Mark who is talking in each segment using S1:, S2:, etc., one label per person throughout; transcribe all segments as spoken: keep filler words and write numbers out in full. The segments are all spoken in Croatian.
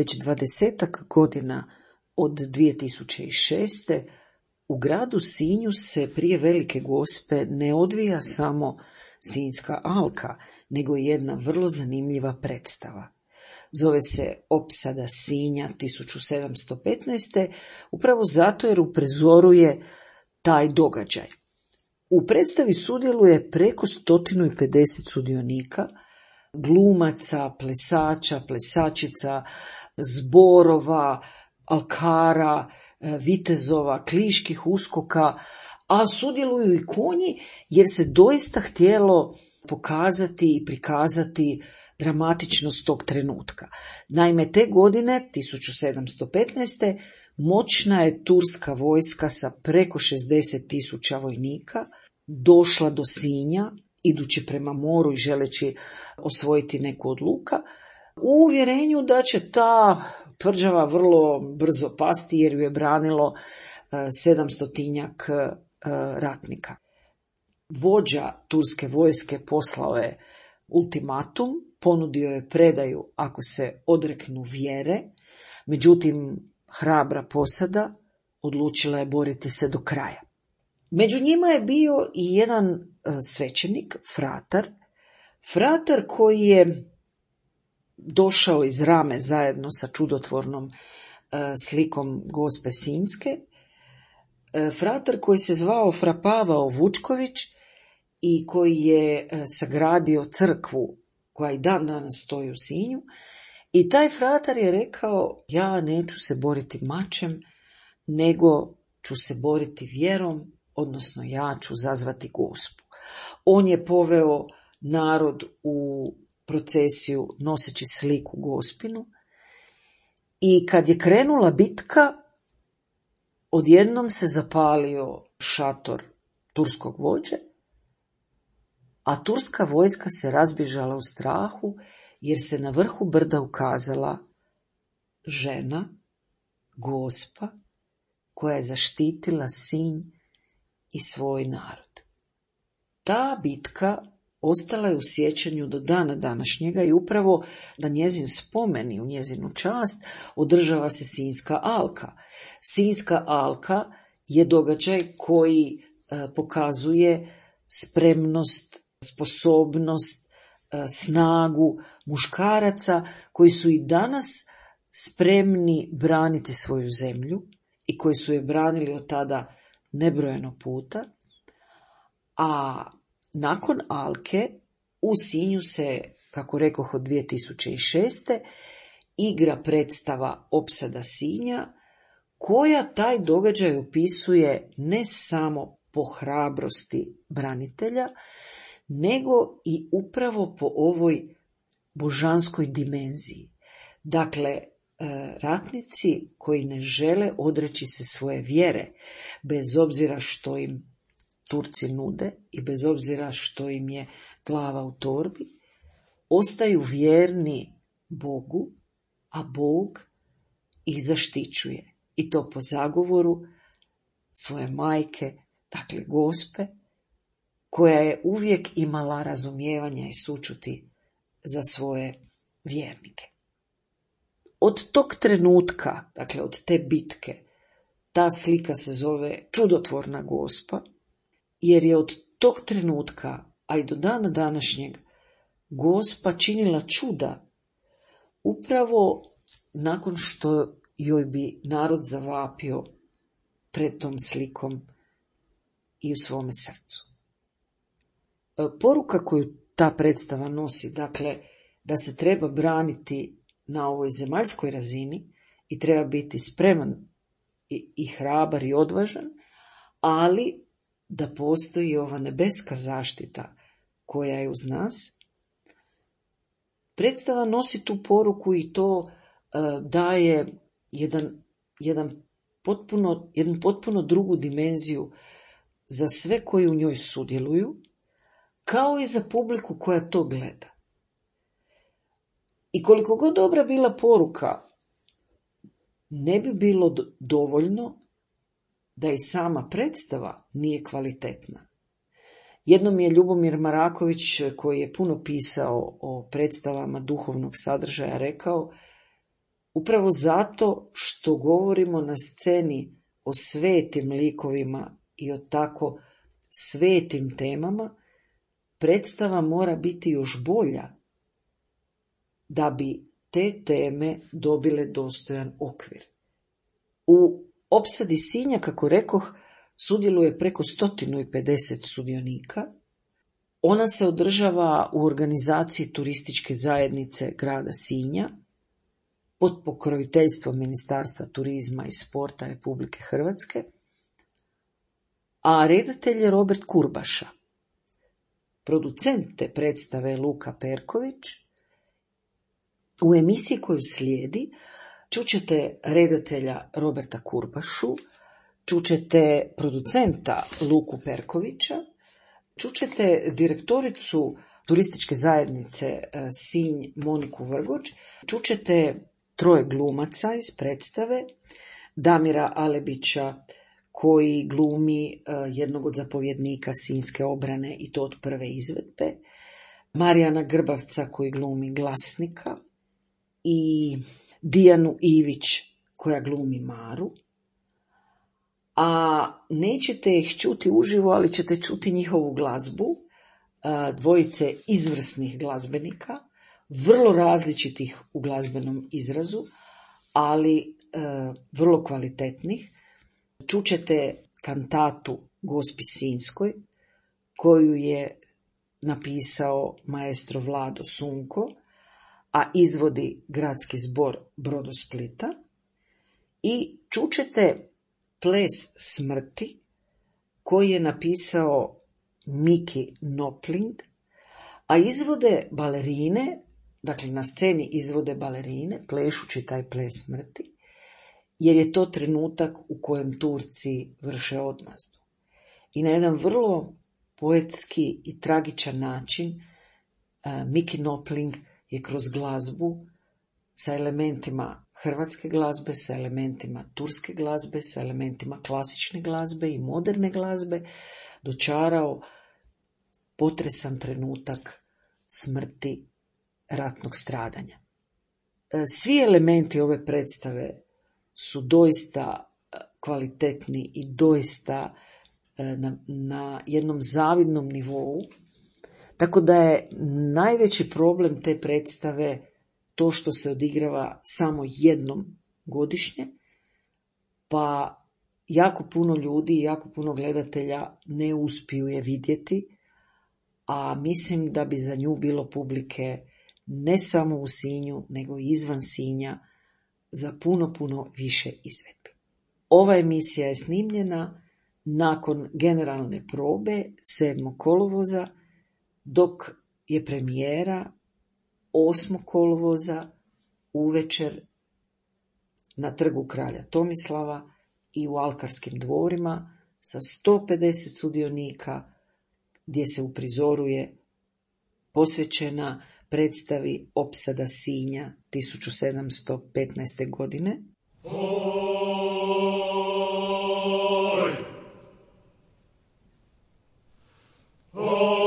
S1: Već dvadesetak godina od dvije tisuće šeste. u gradu Sinju se prije Velike Gospe ne odvija samo Sinjska alka, nego i jedna vrlo zanimljiva predstava. Zove se Opsada Sinja tisuću sedamsto petnaeste. upravo zato jer uprizoruje taj događaj. U predstavi sudjeluje preko sto pedeset sudionika, glumaca, plesača, plesačica, zborova, alkara, vitezova, kliških uskoka, a sudjeluju i konji jer se doista htjelo pokazati i prikazati dramatičnost tog trenutka. Naime, te godine, tisuću sedamsto petnaeste. moćna je turska vojska sa preko šezdeset tisuća vojnika došla do Sinja, idući prema moru i želeći osvojiti neku od luka, u uvjerenju da će ta tvrđava vrlo brzo pasti jer ju je branilo sedamstotinjak ratnika. Vođa turske vojske poslao je ultimatum, ponudio je predaju ako se odreknu vjere, međutim hrabra posada odlučila je boriti se do kraja. Među njima je bio i jedan svećenik, fratar, fratar koji je došao iz Rame zajedno sa čudotvornom slikom Gospe Sinjske, fratar koji se zvao Fra Pavao Vučković i koji je sagradio crkvu koja i dan danas stoji u Sinju. I taj fratar je rekao, ja neću se boriti mačem, nego ću se boriti vjerom, odnosno ja ću zazvati Gospu. On je poveo narod u procesiju noseći sliku Gospinu i kad je krenula bitka, odjednom se zapalio šator turskog vođe, a turska vojska se razbježala u strahu jer se na vrhu brda ukazala žena, Gospa, koja je zaštitila Sinj i svoj narod. Ta bitka ostala je u sjećanju do dana današnjega i upravo na njezin spomen i u njezinu čast održava se Sinjska alka. Sinjska alka je događaj koji e, pokazuje spremnost, sposobnost, e, snagu muškaraca koji su i danas spremni braniti svoju zemlju i koji su je branili od tada nebrojeno puta, a nakon alke u Sinju se, kako rekoh, od dvije tisuće šeste. igra predstava Opsada Sinja, koja taj događaj opisuje ne samo po hrabrosti branitelja, nego i upravo po ovoj božanskoj dimenziji. Dakle, ratnici koji ne žele odreći se svoje vjere, bez obzira što im Turci nude i bez obzira što im je glava u torbi, ostaju vjerni Bogu, a Bog ih zaštićuje. I to po zagovoru svoje majke, dakle Gospe, koja je uvijek imala razumijevanja i sućuti za svoje vjernike. Od tog trenutka, dakle od te bitke, ta slika se zove Čudotvorna Gospa, jer je od tog trenutka, a i do dana današnjeg, Gospa činila čuda upravo nakon što joj bi narod zavapio pred tom slikom i u svome srcu. Poruka koju ta predstava nosi, dakle, da se treba braniti na ovoj zemaljskoj razini i treba biti spreman i, i hrabar i odvažan, ali da postoji ova nebeska zaštita koja je uz nas. Predstava nosi tu poruku i to uh, daje jedan, jedan potpuno, jednu potpuno drugu dimenziju za sve koji u njoj sudjeluju, kao i za publiku koja to gleda. I koliko god dobra bila poruka, ne bi bilo dovoljno da i sama predstava nije kvalitetna. Jednom je Ljubomir Maraković, koji je puno pisao o predstavama duhovnog sadržaja, rekao: Upravo zato što govorimo na sceni o svetim likovima i o tako svetim temama, predstava mora biti još bolja da bi te teme dobile dostojan okvir. U opsadi Sinja, kako rekoh, sudjeluje preko sto pedeset sudionika. Ona se održava u organizaciji turističke zajednice grada Sinja pod pokroviteljstvom Ministarstva turizma i sporta Republike Hrvatske, a redatelj je Robert Kurbaša. Producent te predstave je Luka Perković. U emisiji koju slijedi čućete redatelja Roberta Kurbašu, čućete producenta Luku Perkovića, čućete direktoricu turističke zajednice Sinj Moniku Vrgoč, čućete troje glumaca iz predstave, Damira Alebića koji glumi jednog od zapovjednika Sinjske obrane i to od prve izvedbe, Marijana Grbavca koji glumi glasnika i Dijanu Ivić koja glumi Maru. A nećete ih čuti uživo, ali ćete čuti njihovu glazbu, dvojice izvrsnih glazbenika, vrlo različitih u glazbenom izrazu, ali e, vrlo kvalitetnih. Čućete kantatu Gospi Sinjskoj, koju je napisao maestro Vlado Sunko, a izvodi Gradski zbor Brodosplita. I čućete Ples smrti, koji je napisao Miki Nopling, a izvode balerine, dakle na sceni izvode balerine, plešući taj ples smrti, jer je to trenutak u kojem Turci vrše odmazdu. I na jedan vrlo poetski i tragičan način uh, Miki Nopling je kroz glazbu sa elementima hrvatske glazbe, sa elementima turske glazbe, sa elementima klasične glazbe i moderne glazbe dočarao potresan trenutak smrti, ratnog stradanja. Svi elementi ove predstave su doista kvalitetni i doista na, na jednom zavidnom nivou, tako da je najveći problem te predstave to što se odigrava samo jednom godišnje, pa jako puno ljudi i jako puno gledatelja ne uspiju je vidjeti, a mislim da bi za nju bilo publike ne samo u Sinju, nego i izvan Sinja za puno, puno više izvedbi. Ova emisija je snimljena nakon generalne probe sedmog kolovoza, dok je premijera osmog kolovoza uvečer na trgu kralja Tomislava i u Alkarskim dvorima sa sto pedeset sudionika, gdje se uprizoruje posvećena predstavi Opsada Sinja tisuću sedamsto petnaeste. godine. Oj! Oj!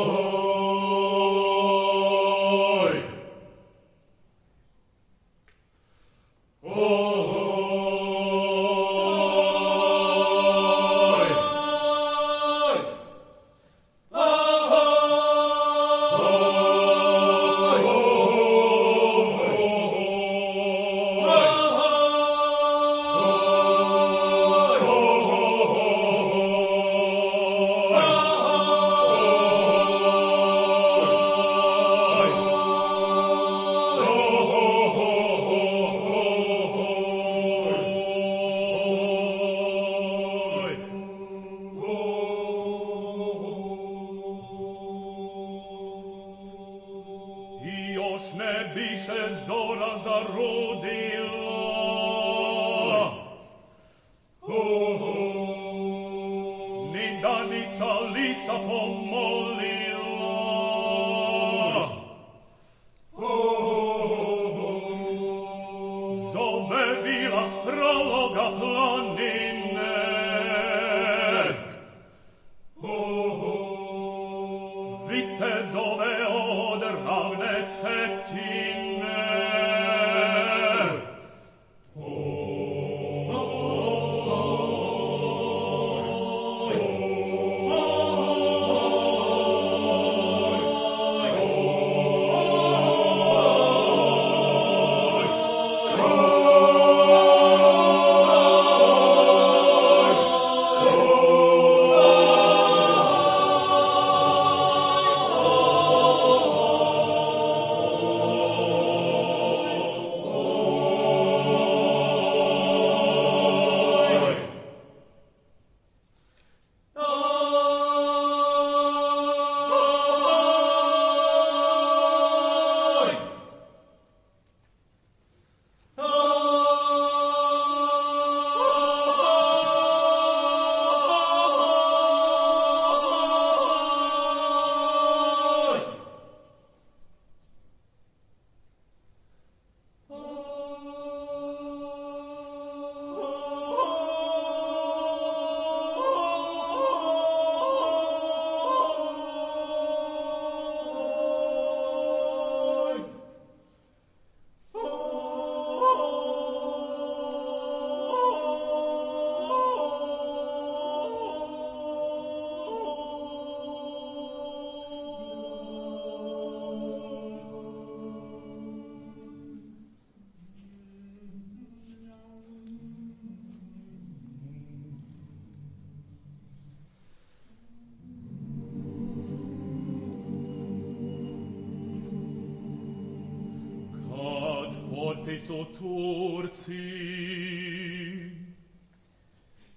S2: stolnicu Turciji,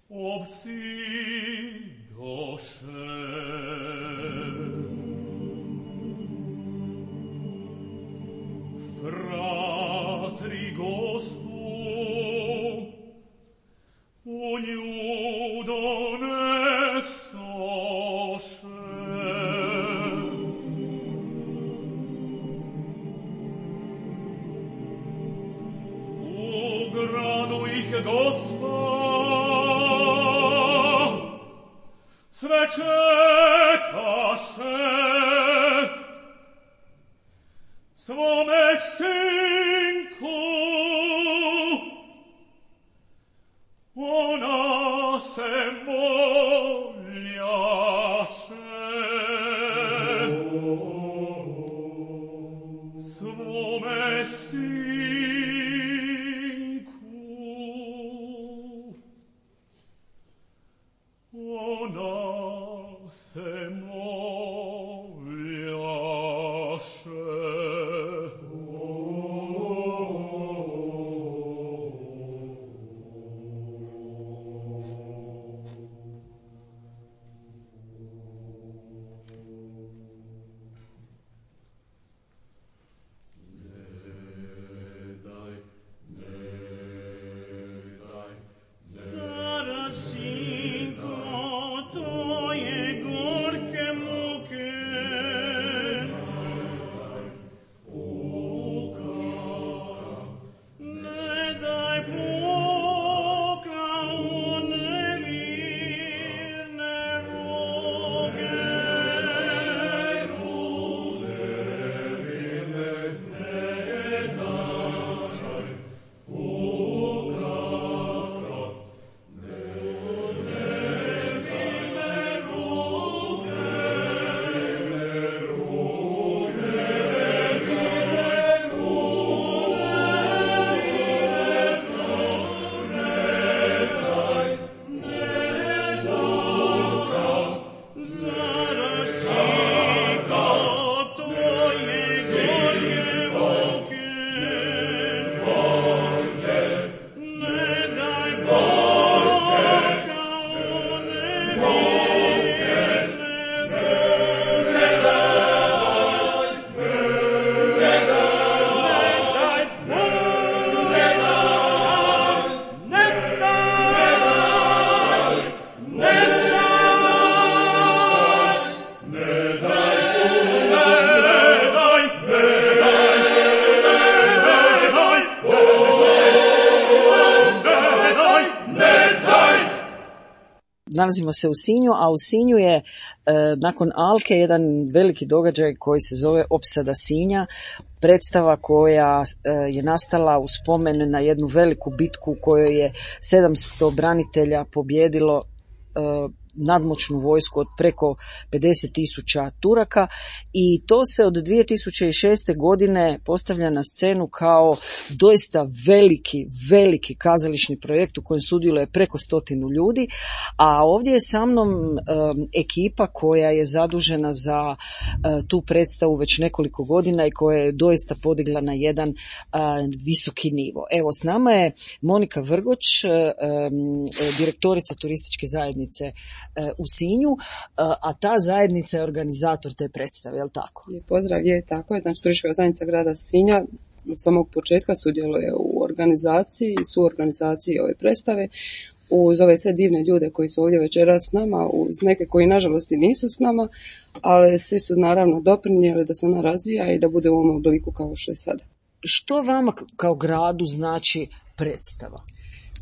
S2: obsidoše. Fratri Gospu u nju donesoše. U gradu ih Gospa sve čekaše, svome sinku ona se moljaše. Svome sinku ona se moljaše.
S1: Nalazimo se u Sinju, a u Sinju je e, nakon Alke jedan veliki događaj koji se zove Opsada Sinja, predstava koja e, je nastala u spomen na jednu veliku bitku u kojoj je sedamsto branitelja pobijedilo e, nadmoćnu vojsku od preko pedeset tisuća Turaka, i to se od dvije tisuće šeste. godine postavlja na scenu kao doista veliki, veliki kazališni projekt u kojem sudjeluje preko stotinu ljudi, a ovdje je sa mnom um, ekipa koja je zadužena za uh, tu predstavu već nekoliko godina i koja je doista podigla na jedan uh, visoki nivo. Evo, s nama je Monika Vrgoč, uh, um, direktorica turističke zajednice u Sinju, a ta zajednica je organizator te predstave, je li tako?
S3: Lijep pozdrav, je tako je. Znači, turistička zajednica grada Sinja od samog početka sudjeluje u organizaciji i suorganizaciji ove predstave, uz ove sve divne ljude koji su ovdje večeras s nama, uz neke koji nažalost i nisu s nama, ali svi su naravno doprinijeli da se ona razvija i da bude u ovom obliku kao što je sada.
S1: Što vama kao gradu znači predstava?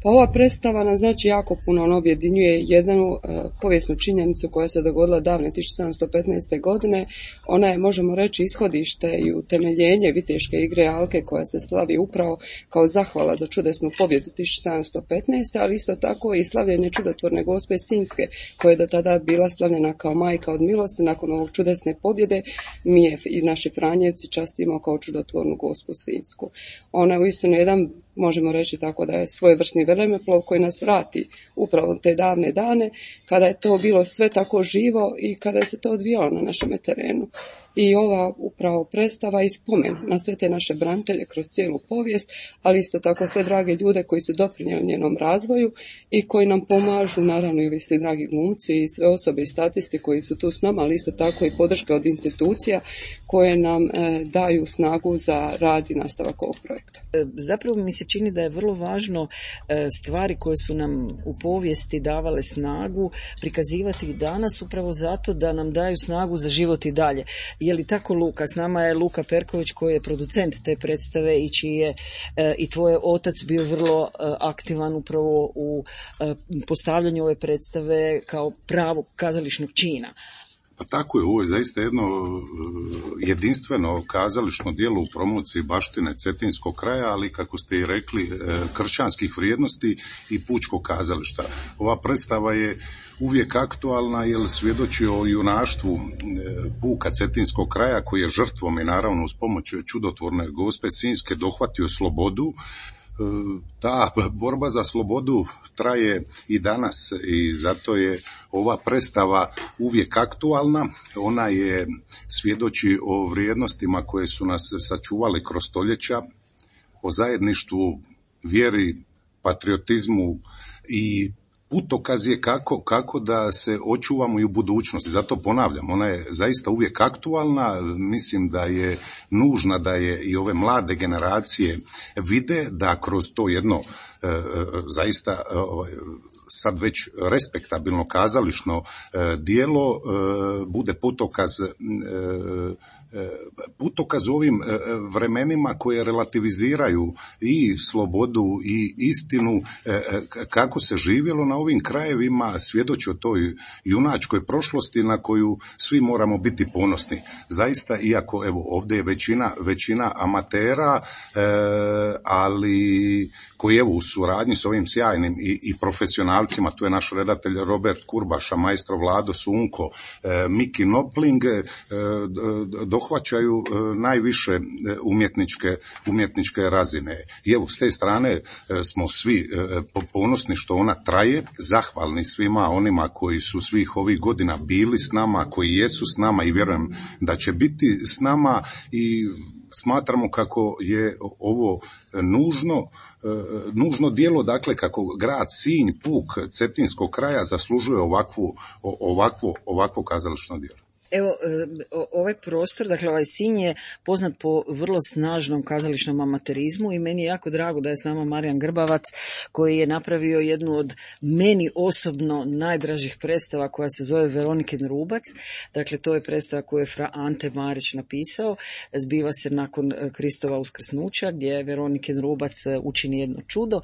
S3: Pa ova predstava nam znači jako puno, on objedinjuje jednu uh, povijesnu činjenicu koja se dogodila davne tisuću sedamsto petnaeste. godine. Ona je, možemo reći, ishodište i utemeljenje viteške igre Alke koja se slavi upravo kao zahvala za čudesnu pobjedu tisuću sedamsto petnaeste. ali isto tako i slavljenje čudotvorne Gospe Sinjske koja je do tada bila slavljena kao majka od milosti. Nakon ovog čudesne pobjede mi je i naši Franjevci častimo kao čudotvornu Gospu Sinjsku. Ona je uistinu jedan, možemo reći tako, da je svojevrsni vremeplov koji nas vrati upravo te davne dane kada je to bilo sve tako živo i kada je se to odvijalo na našem terenu. i ova upravo predstava i spomen na sve te naše branitelje kroz cijelu povijest, ali isto tako sve drage ljude koji su doprinijeli njenom razvoju i koji nam pomažu, naravno i ovi svi dragi glumci i sve osobe i statisti koji su tu s nama, ali isto tako i podrška od institucija koje nam e, daju snagu za rad i nastavak ovog projekta.
S1: Zapravo mi se čini da je vrlo važno e, stvari koje su nam u povijesti davale snagu prikazivati i danas upravo zato da nam daju snagu za život i dalje. Je li tako, Luka? S nama je Luka Perković koji je producent te predstave i čiji je e, i tvoj otac bio vrlo e, aktivan upravo u e, postavljanju ove predstave kao pravog kazališnog čina.
S4: Pa tako je, ovo je zaista jedno jedinstveno kazališno djelo u promociji baštine cetinskog kraja, ali kako ste i rekli, kršćanskih vrijednosti i pučkog kazališta. Ova predstava je uvijek aktualna jer svjedoči o junaštvu puka cetinskog kraja koji je žrtvom i naravno uz pomoć čudotvorne Gospe Sinjske dohvatio slobodu. Ta borba za slobodu traje i danas i zato je ova predstava uvijek aktualna. Ona je svjedoči o vrijednostima koje su nas sačuvali kroz stoljeća, o zajedništvu, vjeri, patriotizmu i putokaz je kako, kako da se očuvamo i u budućnosti. Zato ponavljam, ona je zaista uvijek aktualna, mislim da je nužna da je i ove mlade generacije vide da kroz to jedno e, zaista e, sad već respektabilno kazališno e, dijelo e, bude putokaz e, putokaz u ovim vremenima koje relativiziraju i slobodu i istinu, kako se živjelo na ovim krajevima, svjedoči o toj junačkoj prošlosti na koju svi moramo biti ponosni. Zaista, iako evo ovdje je većina, većina amatera, ali koji evo u suradnji s ovim sjajnim i, i profesionalcima, tu je naš redatelj Robert Kurbaša, maestro Vlado Sunko, Miki Nopling, dohvaćaju najviše umjetničke, umjetničke razine. I evo, s te strane smo svi ponosni što ona traje, zahvalni svima onima koji su svih ovih godina bili s nama, koji jesu s nama i vjerujem da će biti s nama i smatramo kako je ovo nužno, nužno djelo, dakle kako grad Sinj, puk cetinskog kraja zaslužuje ovakvu, ovakvo, ovakvo kazališno djelo.
S1: Evo, ovaj prostor, dakle ovaj Sinj je poznat po vrlo snažnom kazališnom amaterizmu i meni je jako drago da je s nama Marijan Grbavac koji je napravio jednu od meni osobno najdražih predstava koja se zove Veronikin Rubac. Dakle, to je predstava koju je fra Ante Marić napisao. Zbiva se nakon Kristova uskrsnuća gdje je Veronikin Rubac učini jedno čudo,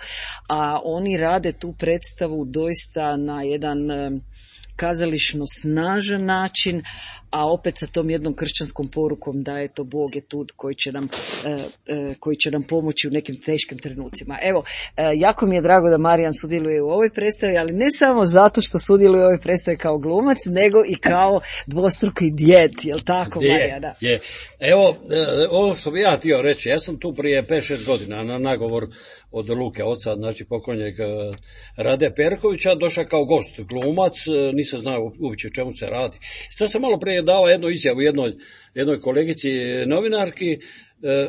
S1: a oni rade tu predstavu doista na jedan kazališno snažan način, a opet sa tom jednom kršćanskom porukom da je to Bog je tu koji će nam, koji će nam pomoći u nekim teškim trenucima. Evo, jako mi je drago da Marijan sudjeluje u ovoj predstavi, ali ne samo zato što sudjeluje u ovoj predstavi kao glumac, nego i kao dvostruki djed, jel tako, Marijana?
S5: Je, je. Evo, ovo što bi ja htio reći, ja sam tu prije pet šest godina na nagovor od Luke, oca, znači pokojnjeg Rade Perkovića, došao kao gost, glumac, nisam znao uopće o čemu se radi. Sad sam malo prije dao jednu izjavu jednoj, jednoj kolegici novinarki,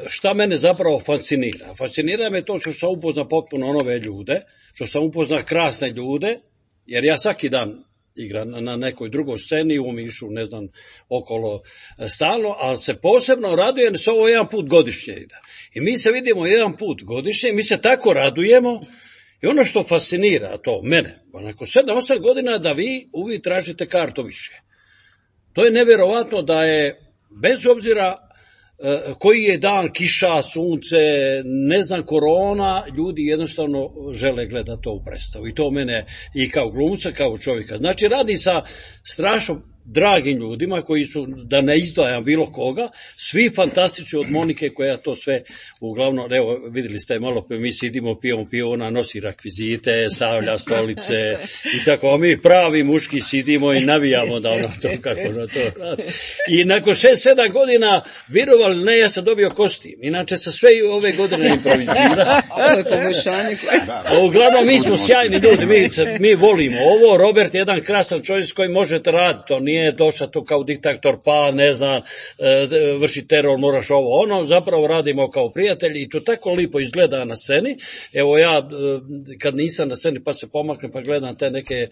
S5: šta mene zapravo fascinira. Fascinira me to što sam upoznao potpuno nove ljude, što sam upoznao krasne ljude, jer ja svaki dan igram na nekoj drugoj sceni, u Mišu, ne znam, okolo stalno, ali se posebno radujem se ovo jedan put godišnje ide. I mi se vidimo jedan put godišnje, mi se tako radujemo. I ono što fascinira to mene, nakon sedam osam godina da vi uvijek tražite kartu više. To je nevjerovatno da je, bez obzira uh, koji je dan, kiša, sunce, ne znam, korona, ljudi jednostavno žele gledati to u predstavu. I to mene i kao glumca, kao čovjeka. Znači radi sa strašno dragim ljudima koji su, da ne izdvajam bilo koga, svi fantastični od Monike koja to sve uglavnom, evo vidjeli ste malo pa mi sidimo, pijemo pivo, ona nosi rekvizite, stavlja stolice i tako, a mi pravi muški sidimo i navijamo da ono to kako ono to radi. I nakon šest sedam godina, vjerovali ne, ja sam dobio kostim, inače sa sve ove godine improvizira.
S3: Ovo je poboljšanje.
S5: Uglavnom mi smo sjajni ljudi, mi, mi volimo ovo, Robert je jedan krasan čovjek s kojim možete raditi, to nije nije došao to kao diktator, pa ne znam, vrši teror, moraš ovo, ono, zapravo radimo kao prijatelji i to tako lipo izgleda na sceni. Evo ja, kad nisam na sceni pa se pomaknem pa gledam te neke,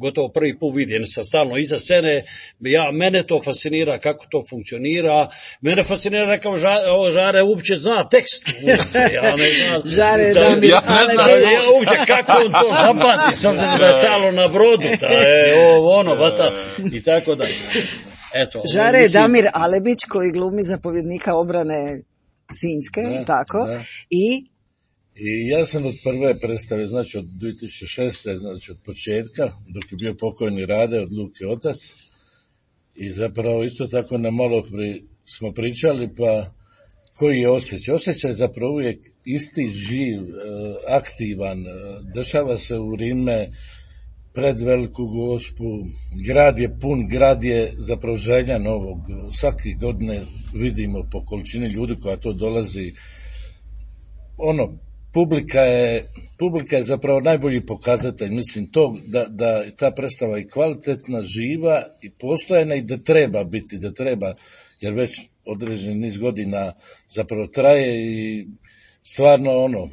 S5: gotovo prvi put vidim, sam stalno iza scene, ja, mene to fascinira kako to funkcionira, mene fascinira kao ža, ovo Žare uopće zna tekst, uopće, ja ne znam,
S1: Žare,
S5: da,
S1: da mi,
S5: ja ne znam, ja uopće kako on to zapati, s obzirom da je stalo na brodu, da je ovo, ono, vata, i tako da. Eto,
S1: Žare je
S5: mislim,
S1: Damir Alebić koji glumi zapovjednika obrane Sinjske,
S6: Da,
S1: tako,
S6: da.
S1: i
S6: I ja sam od prve predstave, znači od dvije tisuće šeste, znači od početka, dok je bio pokojni Rade od Luke otac. I zapravo isto tako na malo pri, smo pričali, pa koji je osjećaj? Osjećaj je zapravo uvijek isti, živ, aktivan, dešava se u Rime, pred Veliku Gospu, grad je pun, grad je zapravo željan ovog. Svake godine vidimo po količini ljudi koja to dolazi. Ono, publika je, publika je zapravo najbolji pokazatelj, mislim to da, da ta predstava je kvalitetna, živa i postojena i da treba biti, da treba, jer već određeni niz godina zapravo traje i stvarno ono,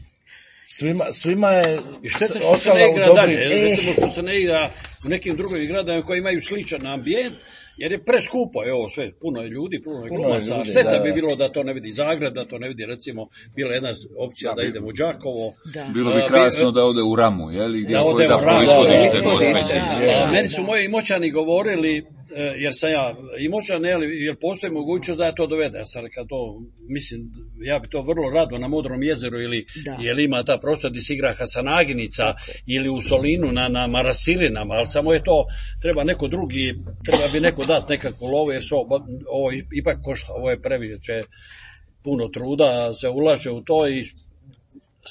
S6: svima, svima je
S5: i šteta što se ne igra dalje, recimo što se ne igra u nekim drugim gradovima koji imaju sličan ambijent, jer je preskupo, evo sve, puno je ljudi, puno je glumaca, a šteta da, bi bilo da to ne vidi Zagreb, da to ne vidi, recimo, bila jedna opcija da, da idemo u Đakovo.
S7: Da. Bilo bi krasno da ode u Ramu, je li, gdje je zapravo ishodište Gospe.
S5: Meni su moji Imoćani govorili, jer sam ja Imoćan, jer postoji mogućnost da ja to dovede, ja sam rekao to, mislim, ja bi to vrlo rado na Modrom jezeru, ili, jer ima ta prostor gdje se igra Hasanaginica, ili u Solinu na, na Marasilinama, ali samo je to, treba neko drugi, treba bi neko dati nekakvu lovu, jer ovo, ovo ipak košta, ovo je previše puno truda, se ulaže u to i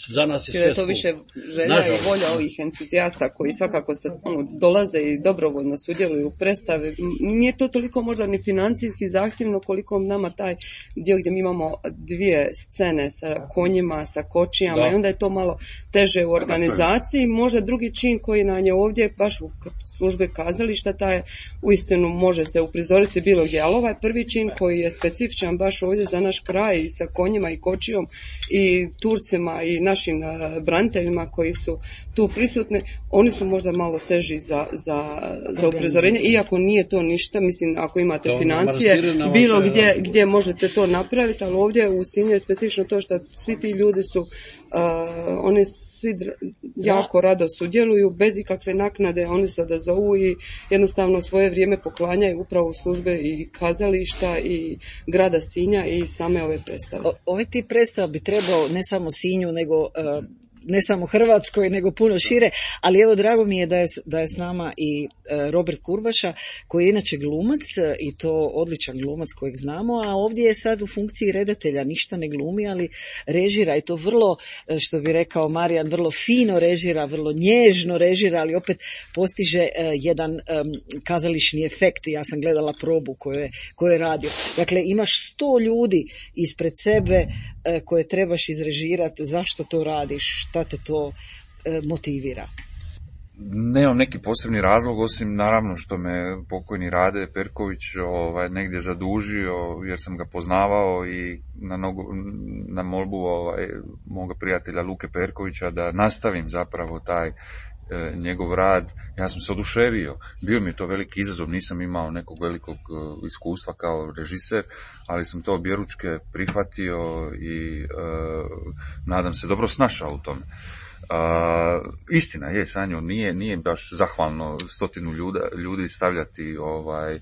S5: za nas je sve
S3: skup. To više želja i volja ovih entuzijasta koji svakako ono, dolaze i dobrovoljno sudjeluju u predstave. Nije to toliko možda ni financijski zahtjevno koliko nama taj dio gdje mi imamo dvije scene sa konjima, sa kočijama, da. I onda je to malo teže u organizaciji. Možda drugi čin koji nam je ovdje baš u službe kazališta, taj uistinu može se uprizoriti bilo gdje, ali ovaj prvi čin koji je specifičan baš ovdje za naš kraj i sa konjima i kočijom i Turcima i našim uh, braniteljima koji su tu prisutni, oni su možda malo teži za, za, za uprizorenje, iako nije to ništa, mislim, ako imate to financije, bilo gdje, gdje možete to napraviti, ali ovdje u Sinju je specifično to što svi ti ljudi su, uh, oni svi dr- jako rado sudjeluju, bez ikakve naknade, oni se odazovu i jednostavno svoje vrijeme poklanjaju upravo u službe i kazališta i grada Sinja i same ove predstave.
S1: O, ove ti predstava bi trebao ne samo Sinju, nego uh, ne samo Hrvatskoj, nego puno šire, ali evo drago mi je da je, da je s nama i Robert Kurbaša, koji je inače glumac i to odličan glumac kojeg znamo, a ovdje je sad u funkciji redatelja, ništa ne glumi, ali režira i to vrlo, što bi rekao Marijan, vrlo fino režira, vrlo nježno režira, ali opet postiže jedan um, kazališni efekt. Ja sam gledala probu koju je, koju je radio. Dakle, imaš sto ljudi ispred sebe uh, koje trebaš izrežirati. Zašto to radiš? Šta te to e, motivira?
S7: Nemam neki posebni razlog, osim naravno što me pokojni Rade Perković ovaj, negdje zadužio, jer sam ga poznavao i na, nogu, na molbu ovaj, moga prijatelja Luke Perkovića da nastavim zapravo taj e, njegov rad. Ja sam se oduševio, bio mi je to veliki izazov, nisam imao nekog velikog e, iskustva kao režiser, ali sam to objeručke prihvatio i e, nadam se dobro snašao u tome. Uh, istina je, Sanjo, nije, nije baš zahvalno stotinu ljuda, ljudi stavljati, ovaj,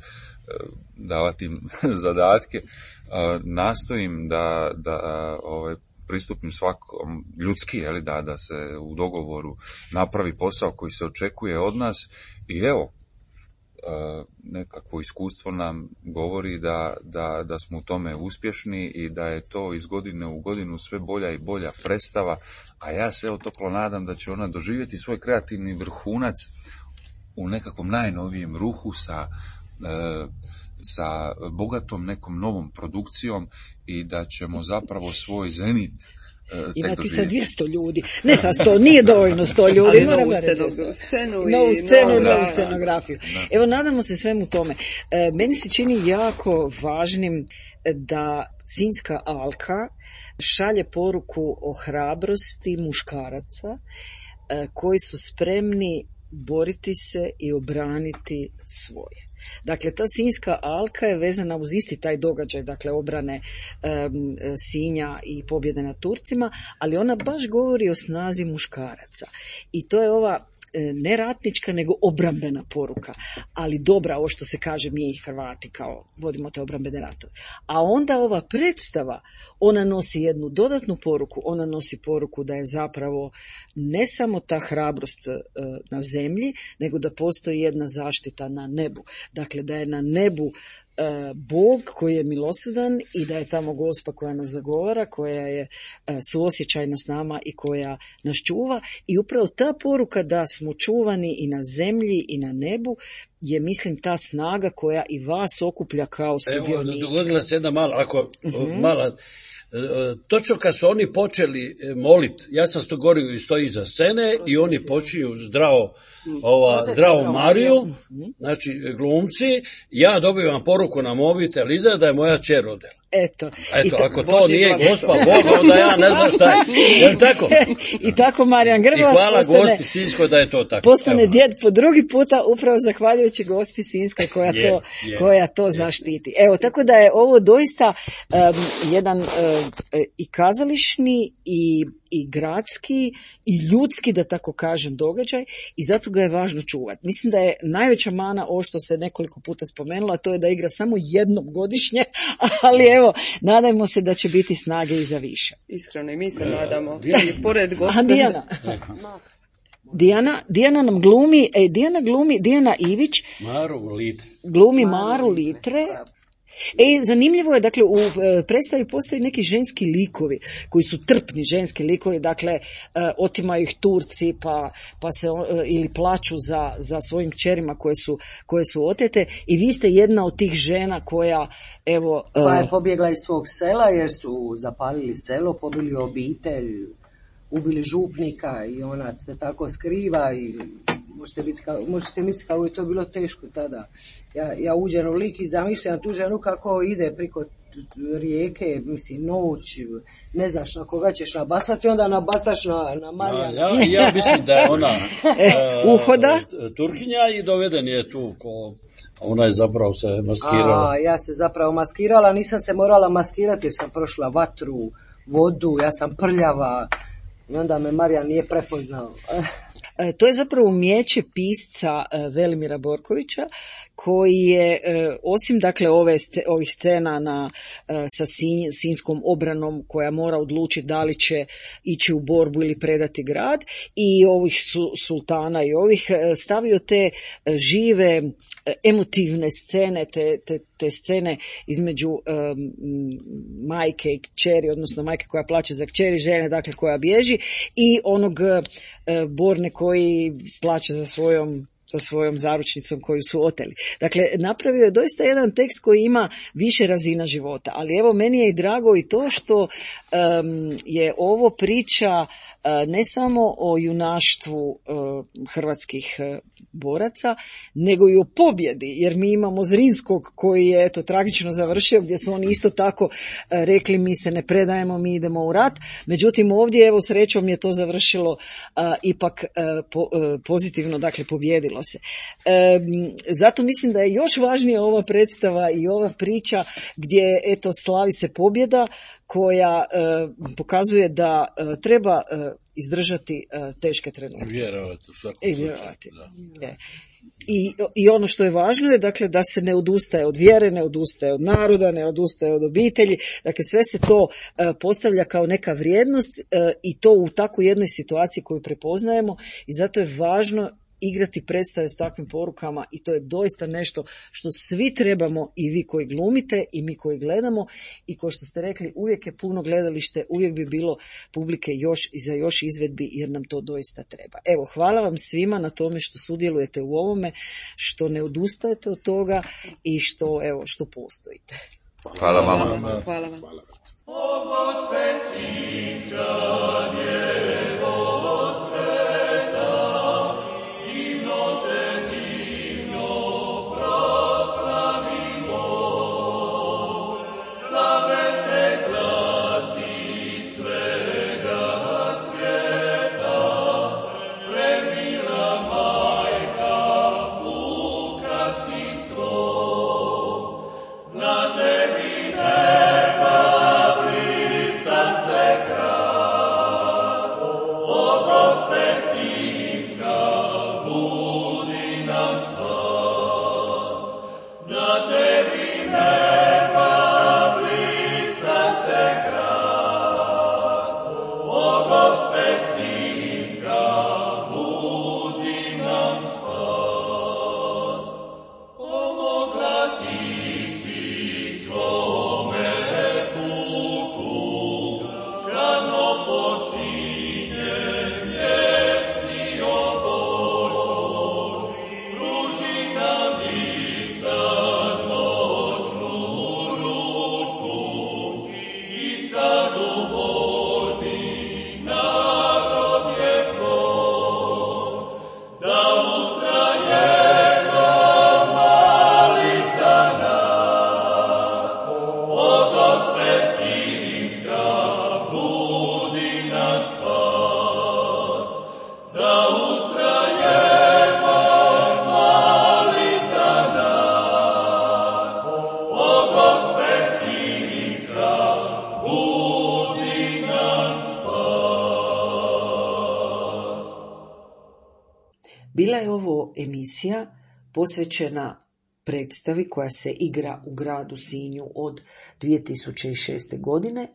S7: davati im zadatke. Uh, nastojim da, da ovaj, pristupim svakom ljudski, jeli, da, da se u dogovoru napravi posao koji se očekuje od nas i evo, Uh, nekakvo iskustvo nam govori da, da, da smo u tome uspješni i da je to iz godine u godinu sve bolja i bolja predstava, a ja se evo toplo nadam da će ona doživjeti svoj kreativni vrhunac u nekakvom najnovijem ruhu sa, uh, sa bogatom nekom novom produkcijom i da ćemo zapravo svoj zenit
S1: imati sa dvjesto ljudi, ne sa sto, nije dovoljno sto ljudi,
S3: ali novu scenu,
S1: novu scenu, novu scenografiju. Evo, nadamo se svemu tome. E, meni se čini jako važnim da Sinjska alka šalje poruku o hrabrosti muškaraca e, koji su spremni boriti se i obraniti svoje. Dakle, ta Sinjska alka je vezana uz isti taj događaj, dakle obrane um, Sinja i pobjede nad Turcima, ali ona baš govori o snazi muškaraca. I to je ova ne ratnička, nego obrambena poruka, ali dobra, ovo što se kaže mi i Hrvati, kao vodimo te obrambene ratove. A onda ova predstava, ona nosi jednu dodatnu poruku, ona nosi poruku da je zapravo ne samo ta hrabrost e, na zemlji, nego da postoji jedna zaštita na nebu. Dakle, da je na nebu Bog koji je milosrdan i da je tamo Gospa koja nas zagovara, koja je suosjećajna s nama i koja nas čuva. I upravo ta poruka da smo čuvani i na zemlji i na nebu je, mislim, ta snaga koja i vas okuplja kao sudionike.
S5: Evo, dogodila se jedna mala, ako uh-huh. mala, točno kad su oni počeli moliti, ja sam sto gorio i stoji iza scene i oni počinju zdravo ova zdravo Mariju, znači glumci, ja dobivam poruku na mobitel iza da je moja kćer rodila.
S1: Eto,
S5: Eto ako to Boži nije Gospa Boga, onda ja ne znam šta je. Je li tako?
S1: I tako Marijan Grbac
S5: I hvala
S1: postane,
S5: Gospi Sinjskoj da je to tako.
S1: Postane Evo. Djed po drugi puta, upravo zahvaljujući Gospi Sinjskoj koja je, to, je, koja to je. zaštiti. Evo, tako da je ovo doista um, jedan um, i kazališni i i gradski i ljudski, da tako kažem, događaj i zato ga je važno čuvati. Mislim da je najveća mana ovo što se nekoliko puta spomenulo, a to je da igra samo jednom godišnje, ali evo, nadajmo se da će biti snage i za više.
S3: Iskreno i mi se nadamo. I pored gosta.
S1: Dijana. Dijana, Dijana nam glumi, e, Dijana glumi, Dijana Ivić
S5: Maru Litre.
S1: glumi Maru Litre. E, zanimljivo je, dakle, u e, predstavi postoji neki ženski likovi, koji su trpni ženski likovi, dakle, e, otimaju ih Turci, pa, pa se, e, ili plaču za, za svojim kćerima koje su, koje su otete, i vi ste jedna od tih žena koja, evo... E,
S8: koja je pobjegla iz svog sela, jer su zapalili selo, pobili obitelj, ubili župnika i ona se tako skriva i možete, biti kao, možete misliti kako je to bilo teško tada. Ja, ja uđem u lik i zamišljam tu ženu kako ide priko rijeke, mislim, noć, ne znaš na koga ćeš nabasati, onda nabasaš na, na Marijana.
S5: Ja, ja mislim da je ona
S1: uh, Uhoda?
S5: Turkinja i doveden je tu ko... Ona je zapravo se maskirala.
S8: A, ja se zapravo maskirala, nisam se morala maskirati jer sam prošla vatru, vodu, ja sam prljava i onda me Marijan nije prepoznao.
S1: E, to je zapravo umijeće pisca e, Velimira Borkovića, koji je, e, osim dakle ove sc- ovih scena na, e, sa sinj, sinjskom obranom koja mora odlučiti da li će ići u borbu ili predati grad, i ovih su, sultana i ovih, e, stavio te e, žive e, emotivne scene, te, te, te scene između e, majke i kćeri, odnosno majke koja plače za kćeri, žene dakle koja bježi, i onog e, Borne koji plače za svojom sa svojom zaručnicom koju su oteli. Dakle, napravio je doista jedan tekst koji ima više razina života, ali evo, meni je i drago i to što um, je ovo priča uh, ne samo o junaštvu uh, hrvatskih uh, boraca, nego i o pobjedi, jer mi imamo Zrinskog koji je eto tragično završio, gdje su oni isto tako uh, rekli mi se ne predajemo, mi idemo u rat. Međutim, ovdje evo srećom je to završilo uh, ipak uh, po, uh, pozitivno, dakle pobjedilo se. E, zato mislim da je još važnija ova predstava i ova priča gdje eto slavi se pobjeda koja e, pokazuje da e, treba e, izdržati e, teške trenutke.
S6: Vjerovati u svakom
S1: I vjerovati. Da. I, I ono što je važno je dakle da se ne odustaje od vjere, ne odustaje od naroda, ne odustaje od obitelji. Dakle, sve se to e, postavlja kao neka vrijednost e, i to u takvoj jednoj situaciji koju prepoznajemo, i zato je važno igrati predstave s takvim porukama, i to je doista nešto što svi trebamo, i vi koji glumite i mi koji gledamo, i kao što ste rekli, uvijek je puno gledalište, uvijek bi bilo publike još i za još izvedbi, jer nam to doista treba. Evo, hvala vam svima na tome što sudjelujete u ovome, što ne odustajete od toga i što, evo, što postojite.
S7: Hvala vama.
S3: Hvala vam.
S1: Bila je ovo emisija posvećena predstavi koja se igra u gradu Sinju od dvije tisuće šeste. godine.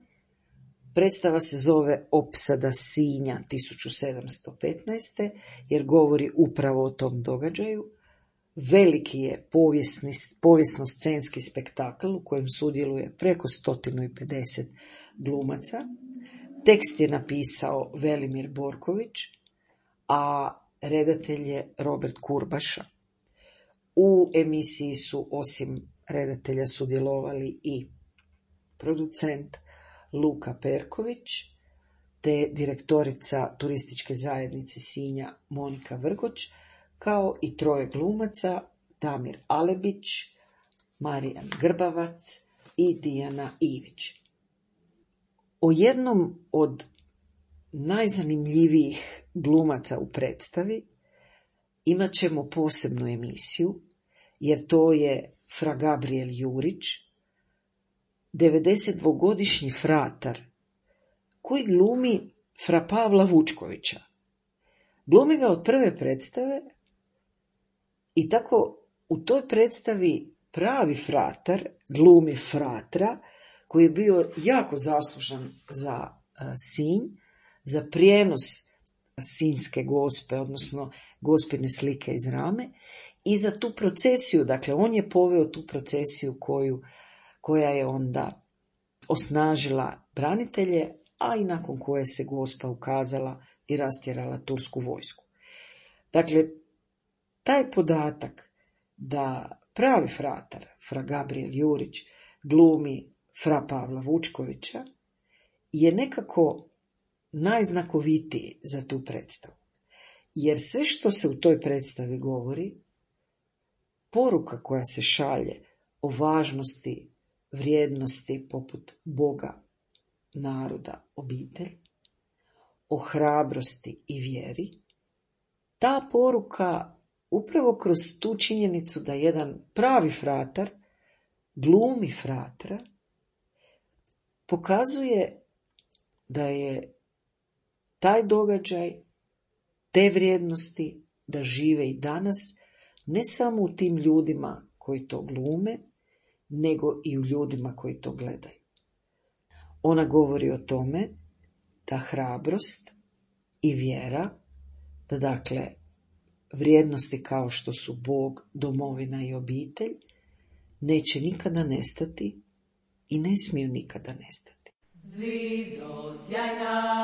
S1: Predstava se zove Opsada Sinja tisuću sedamsto petnaeste. jer govori upravo o tom događaju. Veliki je povijesni, povijesno-scenski spektakl u kojem sudjeluje preko sto pedeset glumaca. Tekst je napisao Velimir Borković, a redatelj je Robert Kurbaša. U emisiji su osim redatelja sudjelovali i producent Luka Perković, te direktorica turističke zajednice Sinja Monika Vrgoć, kao i troje glumaca Damir Alebić, Marijan Grbavac i Dijana Ivić. O jednom od najzanimljivijih glumaca u predstavi imat ćemo posebnu emisiju, jer to je fra Gabriel Jurić, devedesetdvogodišnji fratar, koji glumi fra Pavla Vučkovića. Glumi ga od prve predstave i tako u toj predstavi pravi fratar glumi fratra, koji je bio jako zaslužan za uh, Sinj, za prijenos sinjske gospe, odnosno gospine slike iz Rame, i za tu procesiju, dakle on je poveo tu procesiju koju, koja je onda osnažila branitelje, a i nakon koje se gospa ukazala i rastjerala tursku vojsku. Dakle, taj podatak da pravi fratar, fra Gabriel Jurić, glumi fra Pavla Vučkovića, je nekako najznakovitiji za tu predstavu. Jer sve što se u toj predstavi govori, poruka koja se šalje o važnosti vrijednosti poput Boga, naroda, obitelj, o hrabrosti i vjeri, ta poruka upravo kroz tu činjenicu da jedan pravi fratar glumi fratra, pokazuje da je taj događaj, te vrijednosti da žive i danas, ne samo u tim ljudima koji to glume, nego i u ljudima koji to gledaju. Ona govori o tome da hrabrost i vjera, da dakle vrijednosti kao što su Bog, domovina i obitelj, neće nikada nestati i ne smiju nikada nestati.
S9: Zvizdo sjajna,